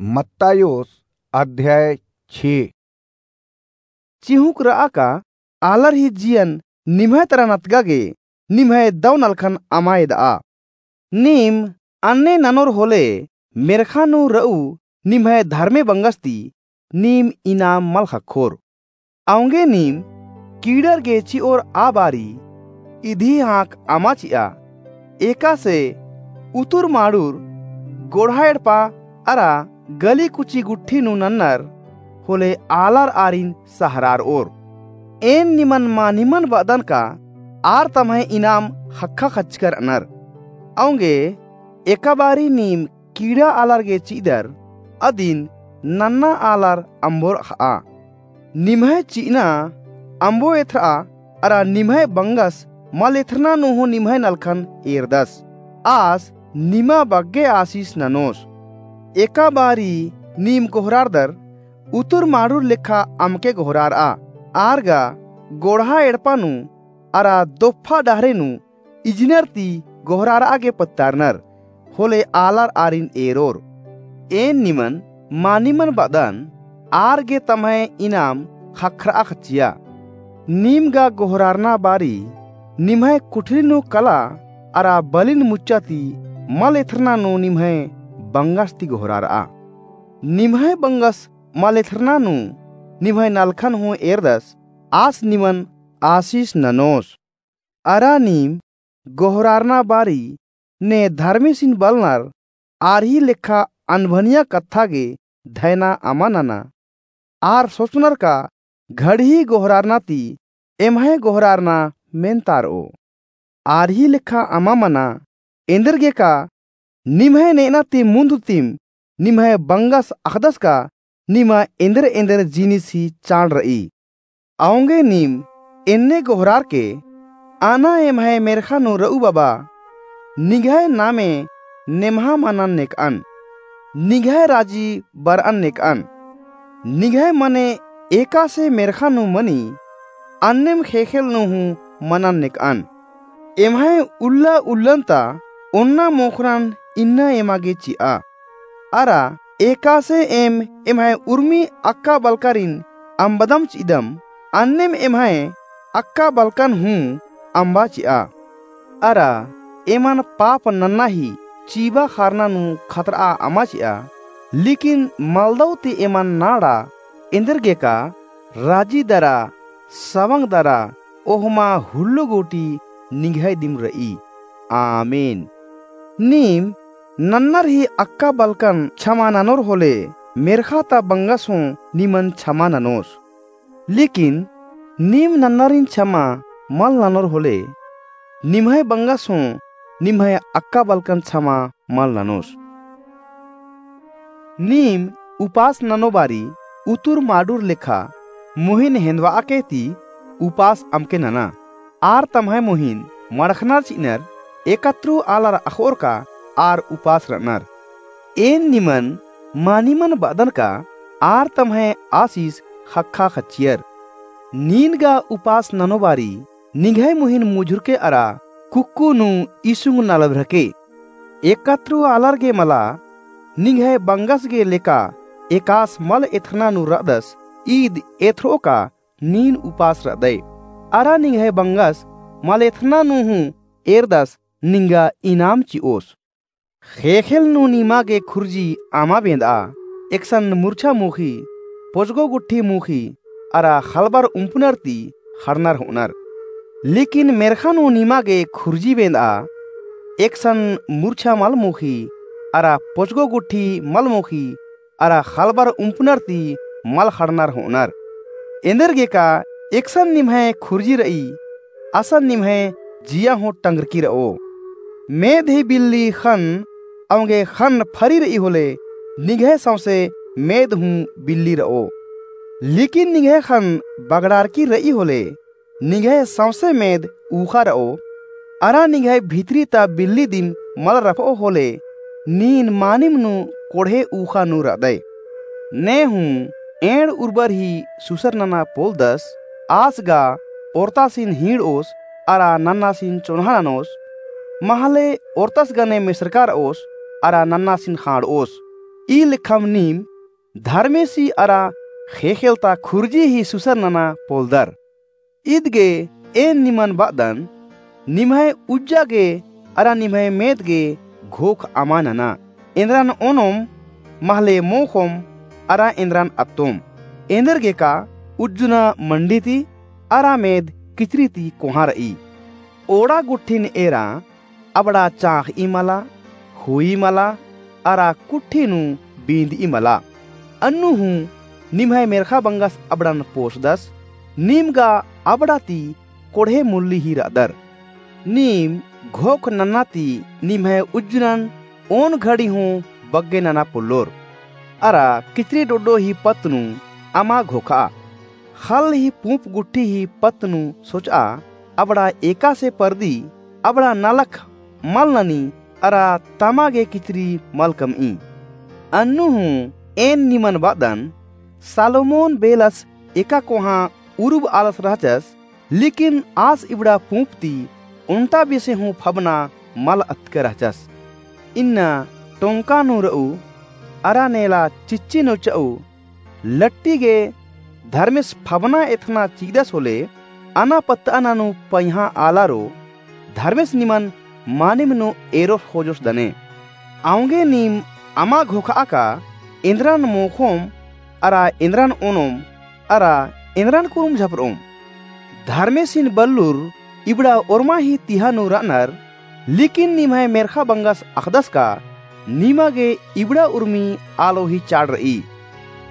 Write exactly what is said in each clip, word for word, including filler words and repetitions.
मत्तायोस अध्याय छे। चिहुँक र'आ का आलर ही जियन निम्है तरा नतगा गे निम्है दौ नलखन अमा एद'आ। नीम अन्ने ननोर होले मेर्ख़ा नू र'ऊ निम्है धर्मे बंगस ती नीम इनाम मल ख़क्खोर। औंगे नीम कीड़र गे चि'ओर आ बारी इदी हाँक अमा चि'आ। एकासे उतुर माड़ुर गोड़हा एड़पा अरा गली कुची गुट्ठी नू नन्नर होले आलर आरिन सहरार'ओर। एन निमन मानिमन ब'अदन का आर तम्है इनाम ख़क्खा ख़च्चकर अनर। औंगे एका बारी नीम कीड़ा आलर गे चि'अदर अदिन नन्ना आलर अम्बोर अख़'आ। निम्है चि'अना अम्बो एथ्र'आ अरा निम्है बंगस मल एथ्रना नू हूँ निम्है नलखन एरदस। आस निमा बग्गे आसिस ननोस। एका बारी नीम गोहरारदर उतुर माड़ुर लेखा अमके गोहरार'आ। आर गा गोड़हा एड़पा नू अरा दोफ्फा डहरे नू इजनर ती गोहरार'आ गे पत्तारनर होले आलर आरिन एरोर। एन निमन मानिमन ब'अदन आर गे तम्है इनाम ख़क्खर'आ ख़च्चिया। नीम गा गोहरारना बारी निम्है कुठरी नू कला अरा बलिन मुच्चा ती मल एथ्रना नू निम्है बंगस ती गोहरार'आ। निम्है बंगस मल एथ्रना नू निम्है नलखन हूँ एरदस। आस निमन आसिस ननोस। अरा नीम गोहरारना बारी ने धर्मेसिन बलनर आर ही लेखा अनभनिया कत्था गे धैना अमा नना। आर सोचनर का घड़ही गोहरारना ती एम्है गोहरारना मेन्तार'ओ। आर ही लेखा अमा मना। एन्देरगे का निम्है ने'अना ती मुन्द तिम निम्है बंगस अख़दस का निमा एन्देर एन्देर जिनिस ही चाड़ र'ई। औंगे नीम एन्ने गोहरारके, अना एम्है मेर्ख़ा नू र'ऊ बबा, निंग्है नामे नेम्हा मनन नेक'अन, निंग्है राजी बर'अन नेक'अन। निंग्है मने एकासे मेर्ख़ा नू मनी, अन्नेम ख़ेख़ेल नू हूँ मनन नेक'अन। एम्है उल्ला उल्लन ता ओन्ना मोख़रन इन्ना एमा गे चि'आ। अरा एकासे एम एम्है उर्मी अक्का बलकारिन अम्बदम चि'अदम, अन्नेम एम्है अक्का बलकन हूँ अम्बा चि'आ। अरा एमन पाप नन्ना ही चीबा ख़ारना नू खतर'आ अमा चि'आ। लेकिन मलदौ ती एमन नाड़ा एन्देरगे का राजी दरा, सवंग दरा, ओहमा हुल्लो गूटी निंग्है दिम र'ई। आमीन। नीम नन्नर ही अक्का बलकन छमा ननोर होले, मेर्ख़ा ता बंगस हूँ निमन छमा ननोस। लेकिन नीम नन्नरिन छमा मल ननोर होले, निम्है बंगस हूँ निम्है अक्का बलकन छमा मल ननोस। नीम उपास ननो बारी उतुर माडुर लेखा मोहिन हेन्दवा'अके ती उपास अमके नना। आर तम्है मोहिन मड़खनर चि'अनर एकत्रु आलर अख़ोर का आर उपास र'अनर। एन निमन मानिमन ब'अदन का आर तम्है आसिस ख़क्खा ख़च्चियर। नीन गा उपास ननो बारी निंग्है मोहिन मुझुरके अरा कुक्कु नू इसुंग नलभ्रके। एकत्रु आलर गे मला निंग्है बंगस गे लेका एकास मल एथरना नू र'अदस ईद एथर'ओ का नीन उपास र'अदय। अरा निंग्है बंगस मल एथरना नू हूँ एरदस निंगा इनाम चि'ओस। ख़ेख़ेल नू निमा गे खुर्जी अमा बेंद'आ, एकसन मुर्छा मुख़ी, पोजगो गुट्ठी मुख़ी, अरा ख़लबर उम्पनर ती ख़ड़नर हो'अनर। लेकिन मेर्ख़ा नू निमा गे खुर्जी बेंद'आ, एकसन मुर्छा मल मुख़ी, अरा पोजगो गुट्ठी मल मुख़ी, अरा ख़लबर उम्पनर ती मल ख़ड़नर हो'अनर। एन्देरगे का एकसन निम्है खुर्जी र'ई, असन निम्है जिया हूँ टंगरकी र'ओ। मेद ही बिल्ली ख़न्न, औंगे ख़न्न फरी र'ई होले, निंग्है सौंसे मेद हूँ बिल्ली र'ओ। लेकिन निंग्है ख़न्न बगड़ारकी र'ई होले, निंग्है सौंसे मेद ऊख़ा र'ओ। अरा निंग्है भितरी ता बिल्ली दिम मल र'ओ होले, नीन मानिम नू कोड़हे ऊख़ा नू र'अदय। ने हूँ एंड़ उर्बर ही सुसर नना पोलदस, आस गा ओर्तासिन हींड़'ओस, अरा नन्नासिन चोन्हा ननोस, महले ओर्तस गने मेसरका र'ओस, अरा नन्नासिन ख़ांड़'ओस। ई लेखम नीम धर्मेसी अरा ख़ेख़ेलता खुर्जी ही सुसर नना पोलदर। ईद गे एन निमन बअदन, निम्है उज्जा गे अरा निम्है मेद गे घोख अमा नना। एन्दरन ओनोम महले मोख़ोम अरा एन्दरन अत्तोम। एन्देरगेका उज्जना मंडी ती अरा मेद किचरी ती कोहाँ रई। ओड़ा गुट्ठिन एरा अबड़ा चाँख़ई मला, हुई मला, अरा कुट्ठी नू बींदई मला। अन्नु हूँ निम्है मेर्ख़ा बंगस अबड़न पोसदस, नीम गा अबड़ा ती कोड़हे मुल्ली ही रअदर। नीम घोख नन्ना ती निम्है उज्जनन ओन घड़ी हूँ बग्गे नना पोल्लोर। अरा किचरी डोड्डो ही पत्त नू अमा घोखआ। ख़ल्ल ही पूँप गुट्ठी ही पत्त नू सोचआ, अबड़ा एकासे परदी, अबड़ा नलख मल ननी, अरा तमा गे किचरी मल कमई। अन्नु हूँ एन निमन बअदन, सालोमोन बेलस एका कोहाँ उरुब आलस रहचस, लेकिन आस इबड़ा पूँप ती ओन्टा बेसे हूँ फबना मल अतके रहचस। इन्ना टोंका नू रऊ, अरा नेला चिच्ची नू चऊ, लट्टी गे धर्मेस फबना एथना चिदस होले, अना पत्तअना नू पइहाँ आलारो, धर्मेस निमन मानिम नू एरोस ख़ोजोस दने। औंगे नीम अमा घोखआ का एन्दरन मोख़ोम, अरा एन्दरन ओनोम, अरा एन्दरन कुरुम झपरओम। धर्मेसिन बल्लुर इबड़ा ओर्मा ही तिहा नू रअनर, लेकिन निम्है मेर्ख़ा बंगस अख़दस का निमा गे इबड़ा उर्मी आलो ही चाड़ रई।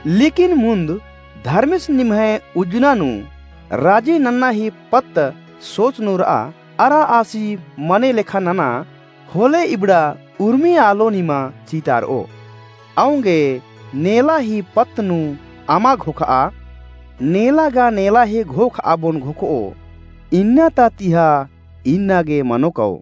लेकिन मुन्द धर्मेस निम्है उज्जना नू राजी नन्ना ही पत्त सोच नू रआ, अरा आसी मने लेखा नना, होले इबड़ा उर्मी आलो निमा चितारओ। औंगे नेला ही पत्त नू अमा घोखआ, नेला गा नेला ही घोखआ बोन घोखओ, इन्ना ता तिहा इन्ना गे मनो कओ।